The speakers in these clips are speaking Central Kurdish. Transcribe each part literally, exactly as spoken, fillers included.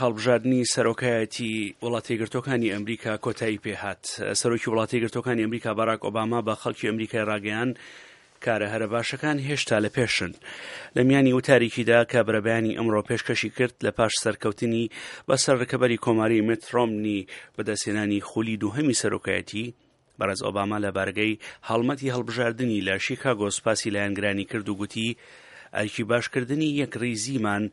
هەڵبژاردنی سەرۆکایەتی وڵاتی یەکگرتووەکانی ئەمریکا کۆتایی پێهات. سەرۆکی وڵاتی یەکگرتووەکانی ئەمریکا باراک ئۆباما بە خەڵکی ئەمریکای ڕاگەیان کارە هەرە باشەکان هێشتا لە پێشن. لە میانی وتارێکیدا کە بەرەبەیانی ئەمڕۆ پێشکەشی کرد لە پاش سەرکەوتنی بەسەر ڕکەبەری کۆماری میت ڕۆمنی بەدەستهێنانی خولی دووهەمی سەرۆکایەتی، بەڕێز ئۆباما لە بارگەی هەڵمەتی هەڵبژاردنی لە شیکاگۆ سوپاسی لایەنگرانی کرد و گوتی ئەرکی باشکردنی یەکڕیزیمان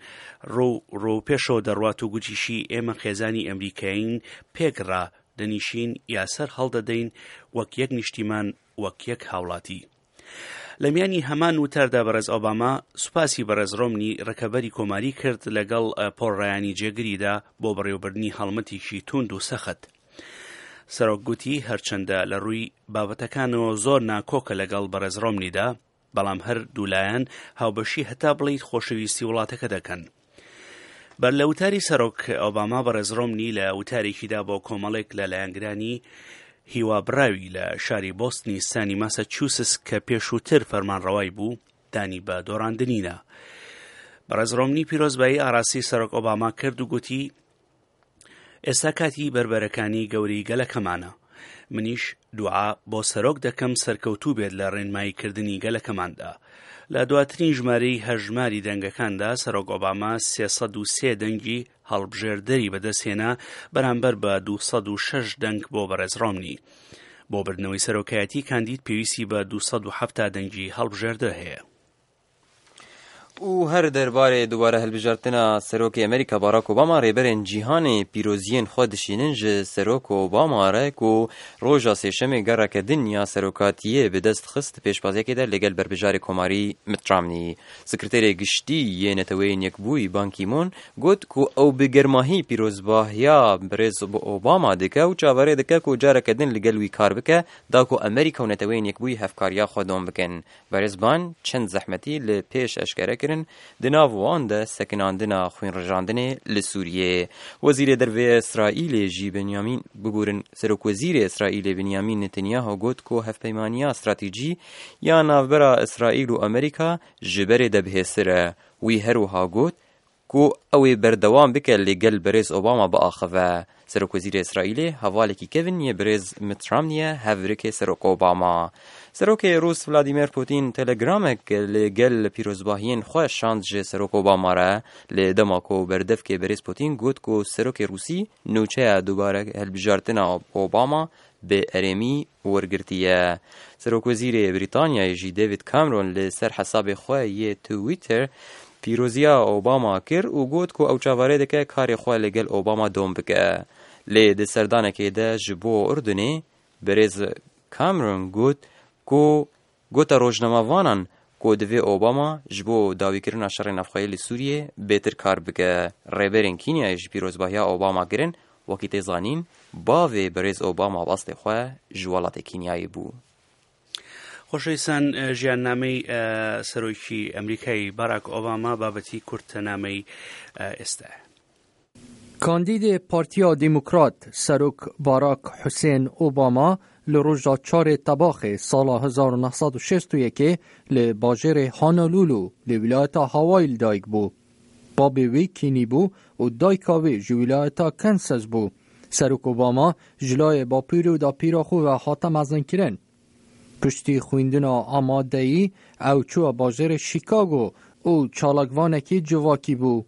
ڕۆ پێشەوە دەڕوات و گوتیشی ئێمە خێزانی ئەمریکایین، پێکڕا دەنیشین یا سەر هەڵدەدەین وەک یەک نیشتیمان، وەک یەک هاوڵاتی. لە میانی هەمان وتاردا بەڕێز ئۆباما سوپاسی بەڕێز ڕۆمنی ڕکەبەری کۆماری کرد لەگەڵ پۆڵ ڕایانی جێگریدا بۆ بەڕێوەبردنی هەڵمەتێکی توند و سەخت. سەرۆک گوتی هەرچەندە لە ڕووی بابەتەکانەوە زۆر ناکۆکە لەگەڵ بەڕێز ڕۆمنیدا، بەڵام هەر دوولایەن هاوبەشی هەتا بڵیت خۆشەویستی وڵاتەکە دەکەن. بەر لە وتاری سەرۆک ئۆباما بەڕێز ڕۆمنی لە وتارێکیدا بۆ کۆمەڵێک لە لایەنگرانی هیوا بڕاوی لە شاری بۆستنی ستانی ماساچوستس کە پێشووتر فەرمانڕەوای بوو دانی بە دۆڕاندنینا. بەڕێز ڕۆمنی پیرۆزبایی ئاراسی سەرۆک ئۆباما کرد و گوتی ئێستا کاتی بەربەرەکانی گەورەی گەلەکەمانە. منیش دوعا بۆ سەرۆک دەکەم سەرکەوتوو بێت لە ڕێنماییکردنی گەلەکەماندا. لە دواترین ژمارەی هەژماری دەنگەکاندا سەرۆک ئۆباما سێ سەد و سێ دەنگی هەڵبژێردەری بەدەستهێنا بەرامبەر بە دوو سەد و شەش دەنگ بۆ بەڕێز ڕۆمنی. بۆ بردنەوەی سەرۆکایەتی کاندید پێویستی بە دوو سەد و حەفتا دەنگی هەڵبژێردە هەیە. و هەر دەربارەی دووبارە هەڵبژاردنە سەرۆکی ئەمریکا باراک ئۆباما ڕێبەرên cîhanê pîroziyên xwe dişînin ji Serok Obama re ku roja sêşemê gereke din ya serokatiyê bi dest xist pêşbaziyekê de li gel berbijarê Komarî Mitt Romney. Sekreterê giştî yê Neteweyên Yekbûyî Ban Ki-moon got ku ew bi germahî pîrozbahiya birêz Obama dike û çaverê dike ku careke din li gel wî kar bike da ku Amerîka û Neteweyên Yekbûyî hevkariya xwe dom bikin. Birêz Ban çend zehmetî li pêş eşkere kirin di nav wan de sekinandina xwînrijandinê li Sûriyê. Wezîrê Derveyê Îsraîlê jî Benyamin bibûrin Serokwezîrê Îsraîlê Benyamin Netanyahu got ku hevpeymaniya stratejî ya navbera Îsraîl û Amerîka ji berê de bihêztir e. Wî her wiha got ku ew ê berdewam bike li gel birêz Obama biaxive. Serokwezîrê Îsraîlê hevalekî kevin yê birêz Mitt Romney ye hevrikê Serok Obama. Serokê Rûs Vladimir Putin telegramek li gel pîrozbahiyên xwe şand ji Serok Obama re li dema ku berdevkê birêz Putin got ku Serokê Rûsî nûçeya dubare hilbijartina Obama bi erêmî wergirtiye. Serokwezîrê Brîtanyayê jî David Cameron li ser hesabê xwe yê Twitter pîroziya Obama kir û got ku ew çaverê dike karê xwe li gel Obama dom bike. Lê di serdanekê de ji bo Urdunê birêz Cameron got ku gota rojnamevanan ku divê Obama ji bo dawîkirina şerê navxweyî li Sûriyê bêtir kar bike. Rêberên Kînyayê ji pîrozbahiya Obama kirin wekî tê zanîn bavê birêz Obama bastê xwe ji welatê Kînyayê bû. خۆشەویستان ژیاننامەی سەرۆکی ئەمریکای باراک ئۆباما بابەتی کورتەنامەی ئێستا. کاندید پارتیا دموکرات سەرۆک باراک حوسێن ئۆباما لە ڕۆژا چارê تەباخê ساڵa هەزار و نۆ سەد و شەست و یەکê li bajarê Honolulu li wîlayeta Hawaii li dayik bû. Babê wî Kînî bû û dayika wê ji wîlayeta Kansas bû. Serok Obama ji layê bapîr û dapîra xwe ve hate mezinkirin. Piştî xwîndina amadeyî ew çû bajarê Chicago û çalakvanekî civakî bû.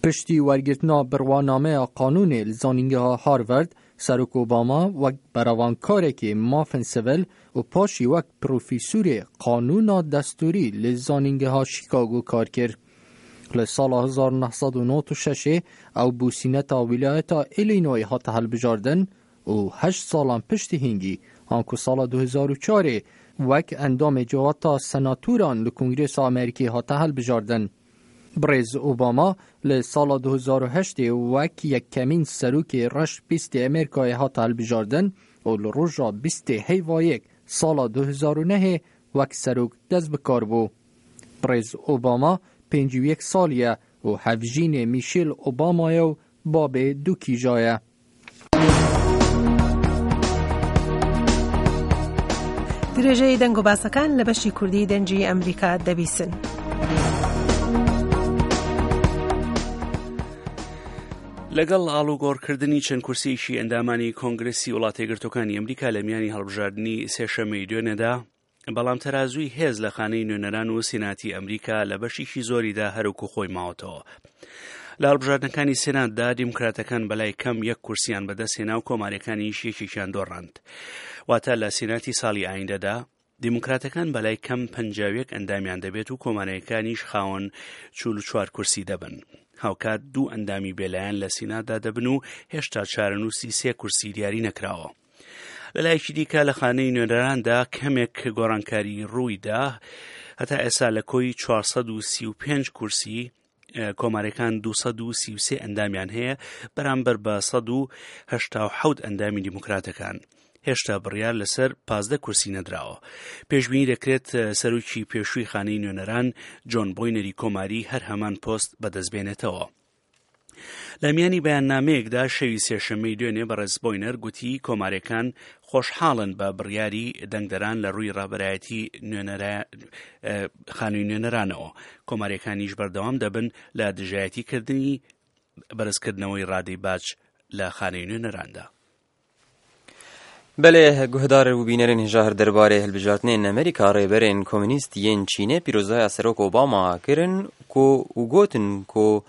Piştî wergirtina birwanameya qanûnê li zanîngeha Harvard, Serok Obama wek berevankarekî mafên sivîl û paşî wek profesorê qanûna destûrî li zanîngeha Chicago kar kir. Li sala hezar û neh sed û nod û şeşê ew bû sîneta wîlayeta Illinois hate hilbijardin û heşt salan piştî hingî anku sala du hezar û çarê wek endamê civata senatoran li Kongresa Amerîkî hate hilbijardin. Birêz Obama li sala du hezar û heştê wek yekemîn serokê reş bîstê Amerîkayê hate hilbijardin û li roja bîstê heyva yek sala du hezar û nehê wek serok dest bi kar bû. Birêz Obama pêncî û yek salî ye û hevjînê Michelle Obama ye û babê du kîja ye. درێژەی دەنگ و باسەکان لە بەشی کوردی دەنگی ئەمریکا دەبیسن. لەگەڵ ئاڵوگۆڕکردنی چەند کورسیەکی ئەندامانی کۆنگرسی وڵاتە یەکگرتووەکانی ئەمریکا لە میانی هەڵبژاردنی سێشەممەی دوێنێدا، بەڵام تەرازووی هێز لە خانەی نوێنەران و سیناتی ئەمریکا لە بەشێکی زۆریدا هەروەکو خۆی ماوەتەوە. لە هەڵبژاردنەکانی سێناتدا دیموکراتەکان بەلای کەم یەک کورسیان بەدەستهێنا و کۆماریەکانیش یەکێکیان دۆڕاند. واتە لە سیناتی ساڵی ئایندەدا دیموکراتەکان بەلای کەم پەنجا و یەک ئەندامیان دەبێت و کۆماریەکانیش خاوەن چل و چوار کورسی دەبن. هاوکات دوو ئەندامی بێلایەن لە سیناتدا دەبن و هێشتا چارەنووسی سێ کورسی دیاری نەکراوە. لەلایەکی دیکە لە خانەی نوێنەراندا کەمێک گۆڕانکاری ڕوویدا، هەتا ئێستا لە کۆی چوار سەد و سی و پێنج کورسی کۆمارەکان دوو سەد و سی و سێ ئەندامیان هەیە بەرامبەر بە سەد و هەشتا و حەوت ئەندامی دیموکراتەکان. هێشتا بڕیار لەسەر پازدە کورسی نەدراوە. پێشبینی دەکرێت سەرۆکی پێشووی خانەی نوێنەران جۆن بۆینەری کۆماری هەر هەمان پۆست بەدەستبێنێتەوە. لە میانی بەیاننامەیەکدا شەوی سێشەممەی دوێنێ بەڕێز بۆینەر گوتی کۆمارەکان خۆشحاڵن بە بڕیاری دەنگدەران لە ڕووی ڕابەرایەتی خانووی نوێنەرانەوە. کۆمارەکانیش بەردەوام دەبن لە دژایەتیکردنی بەرزکردنەوەی ڕادەی باج لە خانەی نوێنەراندا. بەلێ گوهدار و بینەرên هێژا دەربارەی هەلبژاردنên ئەمریکا ڕێبەرên کۆمۆنیست yên چینê پیرۆزaya Serok Obama kirin ku û gotin ku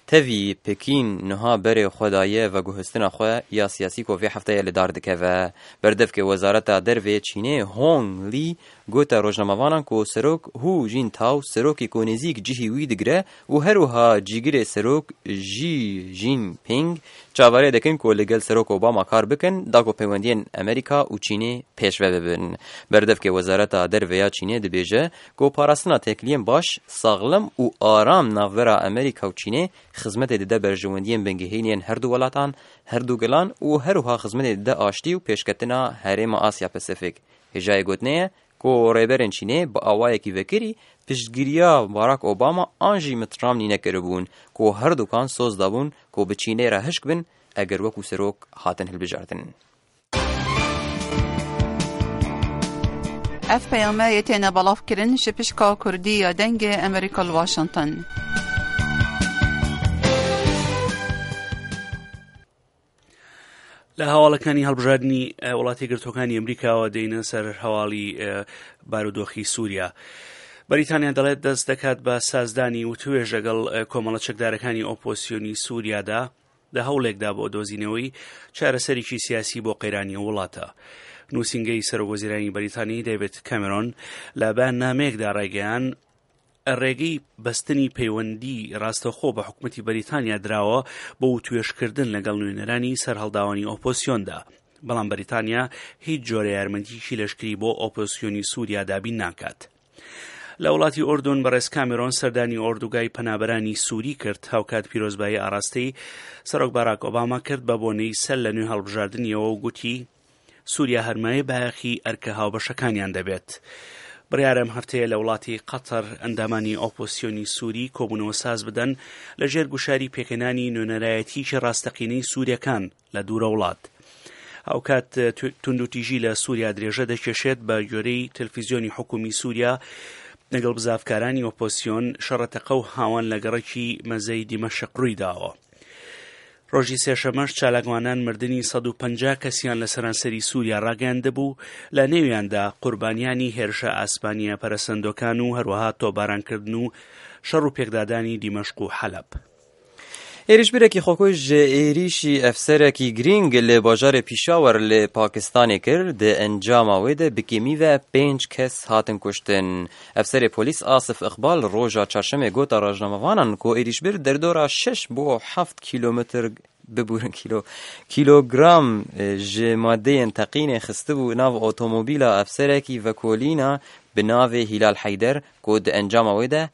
tevî Pekîn niha berê xwe daye veguhestina xwe ya siyasî ku vê hefteyê li dar dikeve. Berdevkê Wezareta Dervê Çînê Hong Li gote rojnamevanan ku Serok Hu Jintao serokê ku nêzîk cihê wî digire û her wiha cîgirê Serok Xi Jinping çaverê dikin ku li gel Serok Obama kar bikin da ku peywendiyên Amerîka û Çînê pêşve bibin. Berdevkê Wezareta Derve ya Çînê dibêje ku parastina têkiliyên baş, saxlem û aram navbera Amerîka û Çînê xizmetê dide berjewendiyên bingehînên her du welatan, her du gelan û her wiha xizmetê dide aştî û pêşketina herêma Asya Pasifik. Hêjayê gotinê ye ku rêberên Çînê bi awayekî vekirî piştgiriya Barack Obama an jî Mitt Romney nekiribûn ku her dukan soz dabûn ku bi Çînê re hişk bin eger wekû serok hatin hilbijartin. Ev peyameyê têne belavkirin ji pişka Kurdî ya Dengê Amerîka li Washington. لە هەواڵەکانی هەڵبژاردنی وڵاتی گرتوەکانی ئەمریکاوە دێنە سەر هەواڵی بارودۆخی سووریا. بەریتانیا دەڵێت دەست دەکات بە سازدانی وتوێژ لەگەڵ کۆمەڵە چەکدارەکانی ئۆپۆسیۆنی سووریادا لە هەوڵێکدا بۆ دۆزینەوەی چارەسەرێکی سیاسی بۆ قەیرانی وڵاتە. نووسینگەی سەرۆک وەزیرانی بەریتانی دەیڤید کامێرۆن لە بەیاننامەیەکدا ڕایگەیاند ڕێگەی بەستنی پەیوەندی ڕاستەخۆ بە حکوومەتی بەریتانیا دراوە بۆ وتوێژکردن لەگەڵ نوێنەرانی سەرهەڵداوانی ئۆپۆسیۆندا. بەڵام بەریتانیا هیچ جۆرە یارمەتیکی لەشکری بۆ ئۆپۆسیۆنی سووریا دابین ناکات. لە وڵاتی ئۆردون بەڕێز کامێرۆن سەردانی ئۆردوگای پەنابەرانی سووری کرد، هاوکات پیرۆزبایی ئاراستەی سەرۆک باراک ئۆباما کرد بە بۆنەی سەر لە نوێ هەڵبژاردنیەوە و گوتی سووریا هەرمایە بایەخی ئەرکە هاوبەشەکانیان دەبێت. بڕیارە ئەم هەفتەیە لە وڵاتی قەتەر ئەندامانی ئۆپۆسیۆنی سووری کۆبوونەوە ساز بدەن لە ژێر گوشاری پێکهێنانی نوێنەرایەتیکی ڕاستەقینەی سووریەکان لە دوورە وڵات. هاوکات توندوتیژی لە سووریا درێژە دەکێشێت بە گوێرەی تەلەفیزیۆنی حکومی سووریا لەگەڵ بزافکارانی ئۆپۆسیۆن شەڕەتەقە و هاوان لە گەڕەکی مەزەی دیمەشق ڕووی داوە. ڕۆژی سێشەمەش چالاکوانان مردنی سەد و پەنجا کەسیان لە سەرانسەری سووریا ڕاگەیاندبوو، لە نێویاندا قوربانیانی هێرشە ئاسمانیە پەرەسەندۆکان و هەروەها تۆبارانکردن و شەڕ و پێکدادانی دیمەشق و حەلەب. ئێریشبرێکی خۆکوژ ئێریشی ئەفسەرێکی گرینگ لە باژارê پیشاوەر لە پاکستانê kir di encama wê de bi kêmî ve pênc kes hatin kuştin. Efserê polîs Asif Iqbal roja çarşemê gota rojnamevanan ku êrişbir derdora şeş bo heft kîlometr ببورن kîlo kîlogram ji madeyên teqînê xistibû nav otomobîla efserekî vekolîna bi navê Hîlal Heyder ku di encama wê de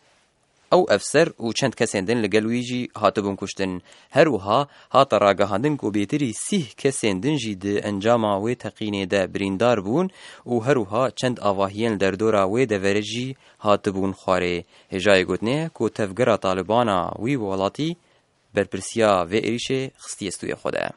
ئەو ئەفسەر و چەند کەسێن din li gel wî jî hatibûn kuştin. Her wiha hate ragihandin ku bêtirî sîh kesên din jî di encama wê teqînê de birîndar bûn û her wiha çend avahiyên li derdora wê deverê jî hatibûn xwarê. Hêjayê gotinê ku tevgera Talibana wî welatî berpirsiya vê êrişê xistiye stûyê xwe de.